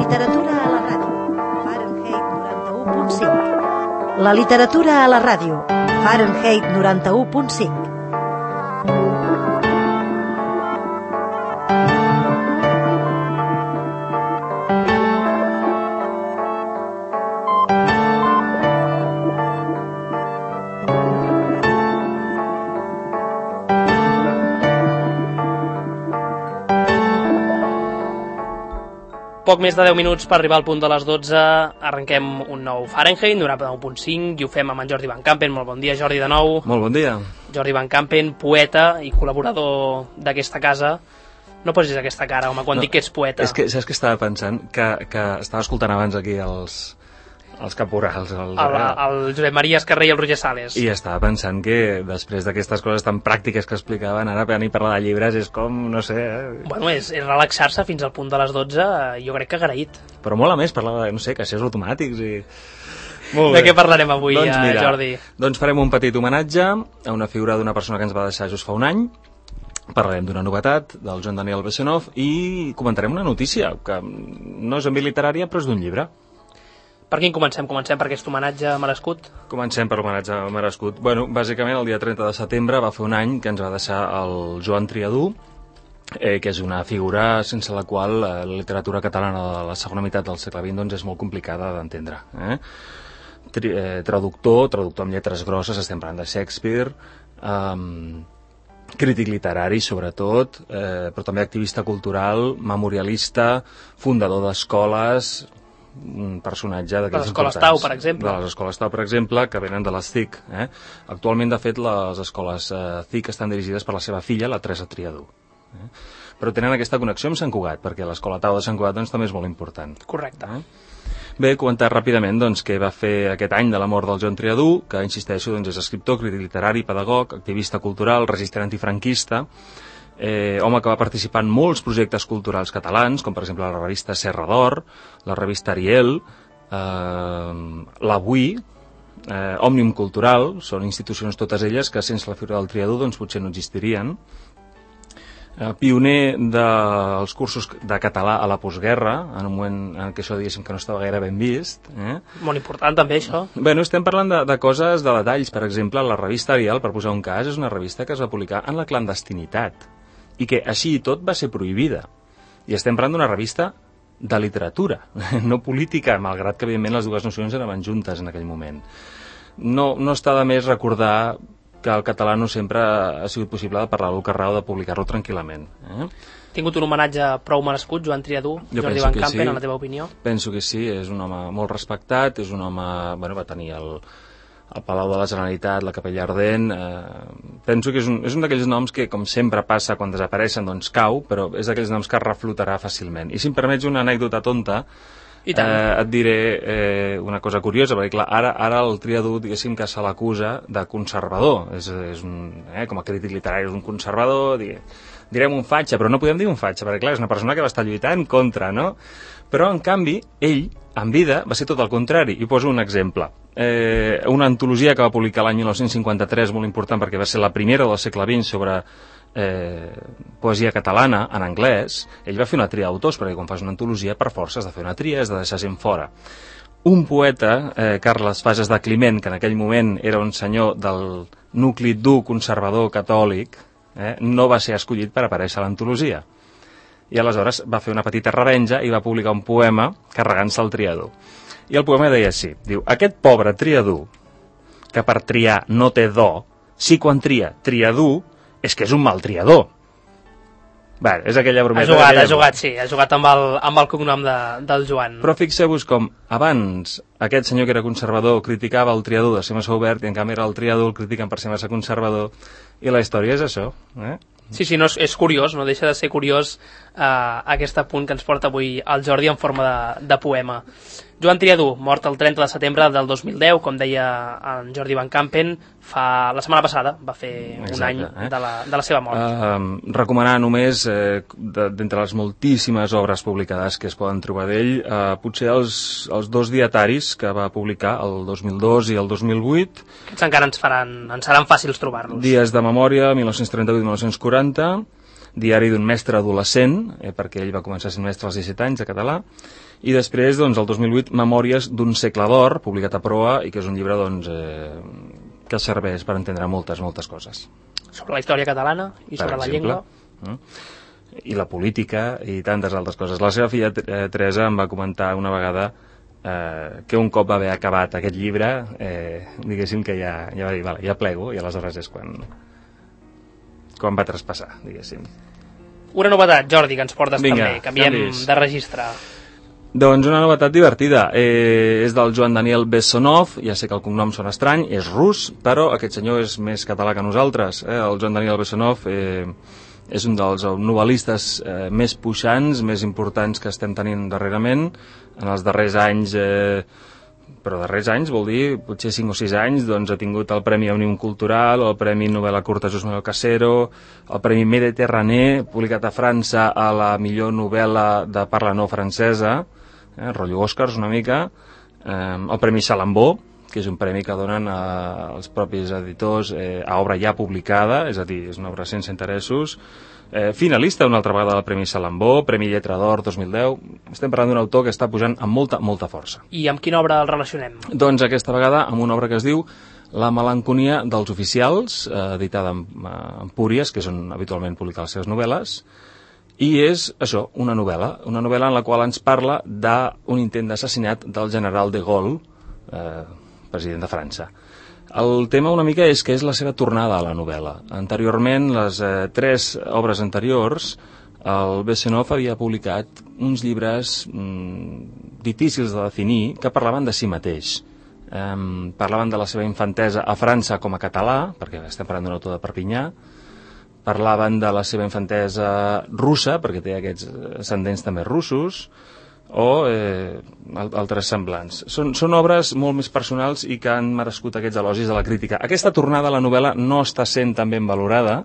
literatura a la ràdio. Fahrenheit 91.5. La literatura a la ràdio. Fahrenheit 91.5. Poc més de 10 minuts per arribar al punt de les 12, arrenquem un nou Fahrenheit 91.5 i ho fem amb en Jordi Van Campen. Molt bon dia, Jordi, de nou. Molt bon dia. Jordi Van Campen, poeta i col·laborador d'aquesta casa. No posis aquesta cara, home, quan dic que ets poeta. És que saps que estava pensant? Que estava escoltant abans aquí els caporals. El Josep Maria Escarré i el Roger Sales. I estava pensant que després d'aquestes coses tan pràctiques que explicaven, ara venir a parlar de llibres és com, no sé... Bueno, és relaxar-se fins al punt de les 12, jo crec que agraït. Però mola més parlar de, no sé, caixers automàtics i... De què parlarem avui, doncs mira, Jordi? Doncs farem un petit homenatge a una figura d'una persona que ens va deixar just fa un any. Parlarem d'una novetat del Joan Daniel Bessonov i comentarem una notícia que no és en via literària però és d'un llibre. Per quin comencem? Comencem per aquest homenatge merescut? Comencem per l'homenatge merescut. Bueno, bàsicament el dia 30 de setembre va fer un any que ens va deixar el Joan Triadú, que és una figura sense la qual la literatura catalana de la segona meitat del segle XX doncs, és molt complicada d'entendre. Traductor amb lletres grosses, estem parlant de Shakespeare, crític literari sobretot, però també activista cultural, memorialista, fundador d'escoles, un personatge d'aquells importants. De les escoles Tau, per exemple. De les escoles Tau, per exemple, que venen de les CIC. Actualment, de fet, les escoles CIC estan dirigides per la seva filla, la Teresa Triadú. Però tenen aquesta connexió amb Sant Cugat, perquè l'escola Tau de Sant Cugat doncs, també és molt important. Correcte. Bé, comentar ràpidament doncs, què va fer aquest any de la mort del Joan Triadú, que, insisteixo, doncs, és escriptor, crític literari, pedagog, activista cultural, resistent antifranquista, home que va participar en molts projectes culturals catalans, com per exemple la revista Serra d'Or, la revista Ariel, l'Avui, Òmnium Cultural, són institucions totes elles que sense la figura del Triadú doncs, potser no existirien. Pioner dels cursos de català a la postguerra, en un moment en què això diguéssim que no estava gaire ben vist. Molt important també això. Bueno, estem parlant de coses, de detalls. Per exemple, la revista Ariel, per posar un cas, és una revista que es va publicar en la clandestinitat i que així i tot va ser prohibida. I estem parlant d'una revista de literatura, no política, malgrat que evidentment les dues nocions anaven juntes en aquell moment. No està de més recordar que el català no sempre ha sigut possible de parlar-lo al carrer o de publicar-lo tranquil·lament. Ha tingut un homenatge prou merescut, Joan Triadú, Jordi Van Campen, en la teva opinió? Penso que sí, és un home molt respectat, és un home... Bueno, va tenir el Palau de la Generalitat, la Capella Ardent... Penso que és un d'aquells noms que, com sempre passa quan desapareixen, doncs cau, però és d'aquells noms que reflotarà fàcilment. I si em permets una anècdota tonta, et diré una cosa curiosa, perquè clar, ara el Triadú, diguéssim que se l'acusa de conservador. Com a crític literari és un conservador, direm un fatxa, però no podem dir un fatxa, perquè clar, és una persona que va estar lluitant contra, no? Però, en canvi, ell, en vida, va ser tot el contrari. I poso un exemple. Una antologia que va publicar l'any 1953, molt important, perquè va ser la primera del segle XX sobre poesia catalana, en anglès. Ell va fer una tria d'autors, perquè quan fas una antologia, per força has de fer una tria, has de deixar gent fora. Un poeta, Carles Fages de Climent, que en aquell moment era un senyor del nucli dur conservador catòlic, no va ser escollit per aparèixer a l'antologia. I aleshores va fer una petita revenja i va publicar un poema carregant-se el Triadú. I el poema deia així, diu: aquest pobre Triadú, que per triar no té do, si quan tria Triadú, és que és un mal triador. Bé, és aquella brometa. Ha jugat amb el cognom del Joan. Però fixeu-vos com abans aquest senyor que era conservador criticava el Triadú de ser massa obert i en canvi era el Triadú el critiquen per ser massa conservador, i la història és això. Sí, no, és curiós, no deixa de ser curiós aquest apunt que ens porta avui el Jordi en forma de poema. Joan Triadú, mort el 30 de setembre del 2010, com deia en Jordi Van Campen, la setmana passada va fer un any de la seva mort. Recomanar només, d'entre les moltíssimes obres publicades que es poden trobar d'ell, potser els dos dietaris que va publicar el 2002 i el 2008. Aquests encara ens seran fàcils trobar-los. Dies de memòria, 1938-1940, Diari d'un mestre adolescent, perquè ell va començar sent mestre als 17 anys de català, i després, doncs, el 2008, Memòries d'un segle d'or, publicat a Proa, i que és un llibre, doncs, que serveix per entendre moltes coses. Sobre la història catalana i sobre la llengua. I la política i tantes altres coses. La seva filla Teresa em va comentar una vegada que un cop va haver acabat aquest llibre, diguéssim que ja va dir, vale, ja plego, i aleshores és quan va traspassar, diguéssim. Una novetat, Jordi, que ens portes. Vinga, també. Canviem de registre. Doncs una novetat divertida. És del Joan Daniel Bessonov, ja sé que el cognom sona estrany, és rus, però aquest senyor és més català que nosaltres. El Joan Daniel Bessonov és un dels novel·listes més puixants, més importants que estem tenint darrerament. En els darrers anys, però darrers anys vol dir potser 5 o 6 anys, doncs ha tingut el Premi Òmnium Cultural, el Premi Novel·la Curta Just Manuel Casero, el Premi Méditerranée, publicat a França a la millor novel·la de parla no francesa, rotllo Oscars una mica, el Premi Salambó, que és un premi que donen als propis editors a obra ja publicada, és a dir, és una obra sense interessos, finalista una altra vegada del Premi Salambó, Premi Lletra d'Or 2010. Estem parlant d'un autor que està pujant amb molta força. I amb quina obra el relacionem? Doncs aquesta vegada amb una obra que es diu La melanconia dels oficials, editada en Empúries, que és on habitualment publica les seves novel·les, i és això, una novel·la en la qual ens parla d'un intent d'assassinat del general de Gaulle, president de França. El tema una mica és que és la seva tornada a la novel·la. Anteriorment, les 3 obres anteriors, el Bessonov havia publicat uns llibres difícils de definir que parlaven de si mateix. Parlaven de la seva infantesa a França com a català, perquè estem parlant d'un autor de Perpinyà, parlaven de la seva infantesa russa, perquè té aquests ascendents també russos, o altres semblants. Són obres molt més personals i que han merescut aquests elogis de la crítica. Aquesta tornada a la novel·la no està sent tan ben valorada,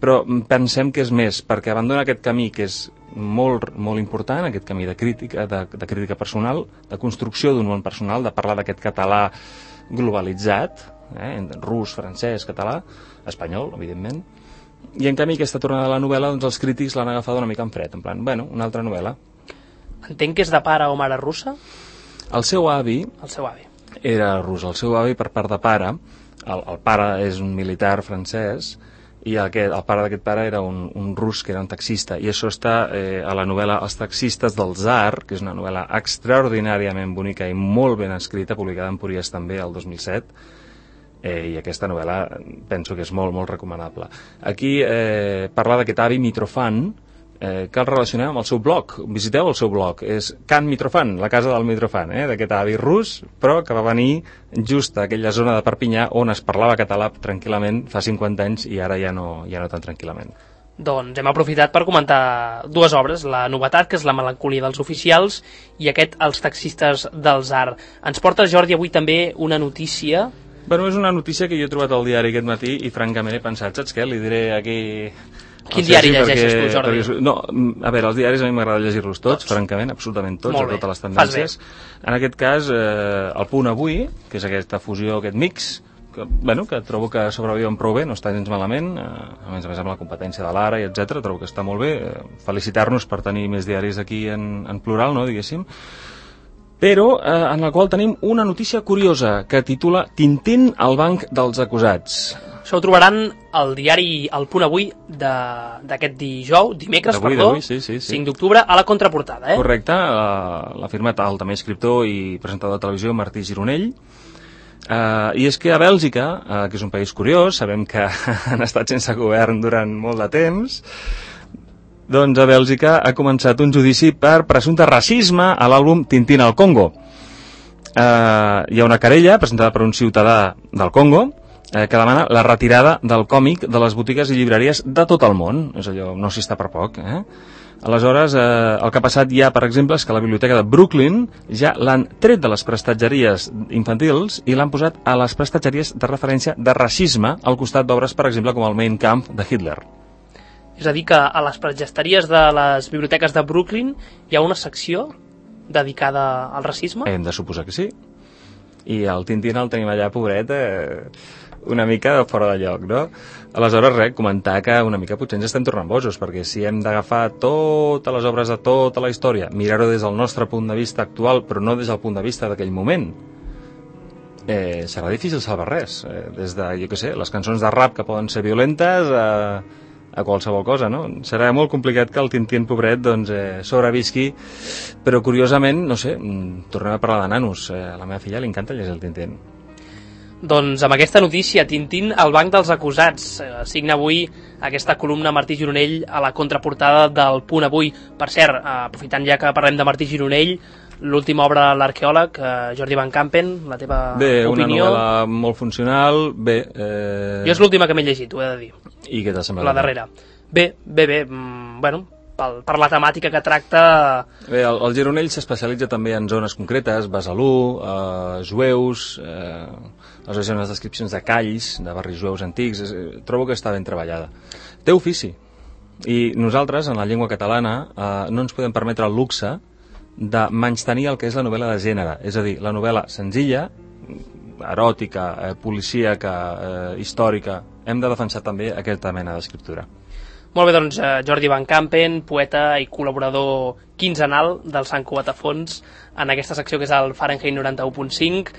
però pensem que és més, perquè abandona aquest camí que és molt important, aquest camí de crítica personal, de construcció d'un món personal, de parlar d'aquest català globalitzat, rus, francès, català, espanyol, evidentment, i en canvi aquesta tornada a la novel·la, doncs els crítics l'han agafat una mica en fred, en plan, bueno, una altra novel·la. Entenc que és de pare o mare russa? El seu avi era rus. El seu avi, per part de pare, el pare és un militar francès, i el pare d'aquest pare era un rus que era un taxista, i això està a la novel·la Els taxistes del Tsar, que és una novel·la extraordinàriament bonica i molt ben escrita, publicada en Empúries també el 2007, i aquesta novel·la penso que és molt recomanable. Aquí parla d'aquest avi Mitrofan, que el relacionem amb el seu blog. Visiteu el seu blog, és Can Mitrofan, la casa del Mitrofan, d'aquest avi rus, però que va venir just a aquella zona de Perpinyà on es parlava català tranquil·lament fa 50 anys i ara ja no tan tranquil·lament. Doncs hem aprofitat per comentar 2 obres, la novetat, que és La melancolia dels oficials, i aquest Els taxistes del Tsar. Ens portes, Jordi, avui també una notícia. Bueno, és una notícia que jo he trobat al diari aquest matí i francament he pensat, saps què? Li diré aquí... Quin diari llegeixes tu, Jordi? No, a veure, els diaris a mi m'agrada llegir-los tots, francament, absolutament tots, de totes les tendències. En aquest cas, el Punt Avui, que és aquesta fusió, aquest mix, que trobo que sobreviuen prou bé, no està gens malament, a més amb la competència de l'Ara, i etc. Trobo que està molt bé. Felicitar-nos per tenir més diaris aquí en plural, no, diguéssim. Però en el qual tenim una notícia curiosa que titula Tintín al banc dels acusats. Això ho trobaran al diari El Punt Avui d'aquest dimecres, 5 d'octubre, a la contraportada. Correcte, l'ha firmat el també escriptor i presentador de televisió Martí Gironell. I és que a Bèlgica, que és un país curiós, sabem que han estat sense govern durant molt de temps, doncs a Bèlgica ha començat un judici per presumpte racisme a l'àlbum Tintín al Congo. Hi ha una querella presentada per un ciutadà del Congo que demana la retirada del còmic de les botigues i llibreries de tot el món. És allò, no s'hi està per poc, Aleshores, el que ha passat ja, per exemple, és que la biblioteca de Brooklyn ja l'han tret de les prestatgeries infantils i l'han posat a les prestatgeries de referència de racisme al costat d'obres, per exemple, com el Mein Kampf de Hitler. És a dir, que a les prestatgeries de les biblioteques de Brooklyn hi ha una secció dedicada al racisme? Hem de suposar que sí. I el Tintín el tenim allà, pobret, una mica fora de lloc, no? Aleshores, res, comentar que una mica potser ens estem tornant bojos, perquè si hem d'agafar totes les obres de tota la història, mirar-ho des del nostre punt de vista actual, però no des del punt de vista d'aquell moment, serà difícil salvar res. Des de, jo què sé, les cançons de rap que poden ser violentes a qualsevol cosa, no? Serà molt complicat que el Tintín, pobret, doncs, sobrevisqui, però curiosament, no sé, tornem a parlar de nanos. A la meva filla li encanta llegir el Tintín. Doncs amb aquesta notícia, Tintín al banc dels acusats. Signa avui aquesta columna Martí Gironell a la contraportada del Punt Avui. Per cert, aprofitant ja que parlem de Martí Gironell, l'última obra de l'arqueòleg, Jordi Van Campen, la teva opinió? Una novel·la molt funcional, bé... Jo és l'última que m'he llegit, ho he de dir. I què t'ha semblat? La darrera. Bé, bueno, per la temàtica que tracta... Bé, el Gironell s'especialitza també en zones concretes, Besalú, jueus, les descripcions de calls, de barris jueus antics, trobo que està ben treballada. Té ofici, i nosaltres, en la llengua catalana, no ens podem permetre el luxe de menystenir el que és la novel·la de gènere, és a dir, la novel·la senzilla, eròtica, policíaca, històrica. Hem de defensar també aquesta mena d'escriptura. Molt bé, doncs, Jordi Van Campen, poeta i col·laborador quinzenal del Sant Cugat a Fons, en aquesta secció que és el Fahrenheit 91.5.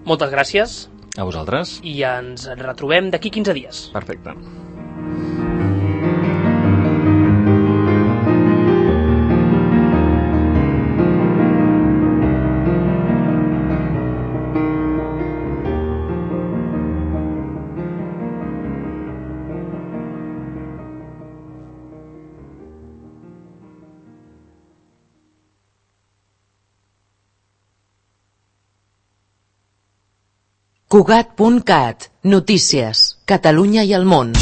Moltes gràcies. A vosaltres. I ens retrobem d'aquí 15 dies. Perfecte. Cugat.cat. Notícies. Catalunya i el món.